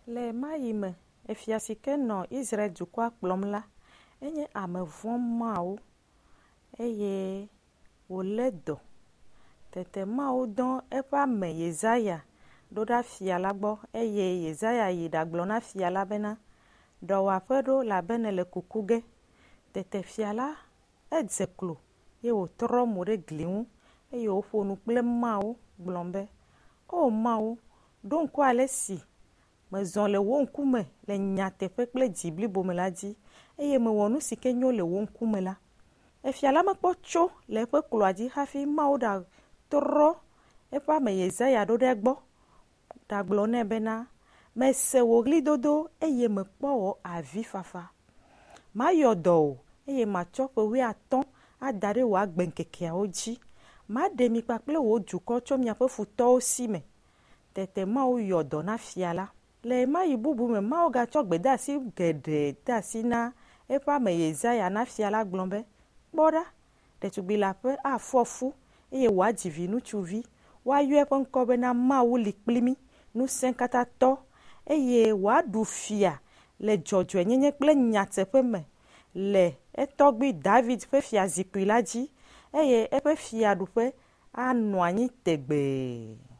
Le ɣemaɣi me, efia si ke nɔ Israel dukɔa kplɔm la, enye ame vɔ̃ Mawu eye wòlé dɔ. Tete Mawu dɔ eƒe ame Yesaya ɖo ɖa fia la gbɔ eye Yesaya yi ɖagblɔ na fia la bena, Ɖɔ wò aƒe ɖo elabe nèle kuku ge. Tete fia la edze klo eye wòtrɔ mo ɖe gli ŋu eye wòƒo nu kple Mawu gblɔ be, O Mawu, ɖo ŋku ale si mezɔ le wò ŋkume le nyateƒe kple dzi blibo me la dzi eye mewɔ nu si ke nyo le wò ŋkume la. Efia la mekpɔ tso le eƒe kloa dzi hafi Mawu ɖatrɔ eƒe ame Yesaya ɖo ɖe egbɔ ɖagblɔ nɛ bena, Mese wò ɣlidodo eye mekpɔ wò avifafa. Mayɔ dɔ wò eye matsɔ ƒe wuiatɔ̃ ada ɖe wò agbeŋkekeawo dzi. Maɖe mi kpakple wò dukɔ tso miaƒe futɔwo si me. Tete Mawu yɔ dɔ na fia la. Le ɣemaɣi bubu me, Mawu gatsɔ gbedeasi geɖe de asi na eƒe ame Yesaya na fia la gblɔ be, Kpɔ ɖa, ɖetugbi leaƒe afɔ fu eye wòadzi viŋutsuvi. Woayɔ eƒe ŋkɔ bena Mawu li kpli mí, ŋusẽkatãtɔ, eye wòaɖu fia le dzɔdzɔenyenye kple nyateƒe me le etɔgbui David ƒe fiazikpui la dzi eye eƒe fiaɖuƒe anɔ anyi tegbee.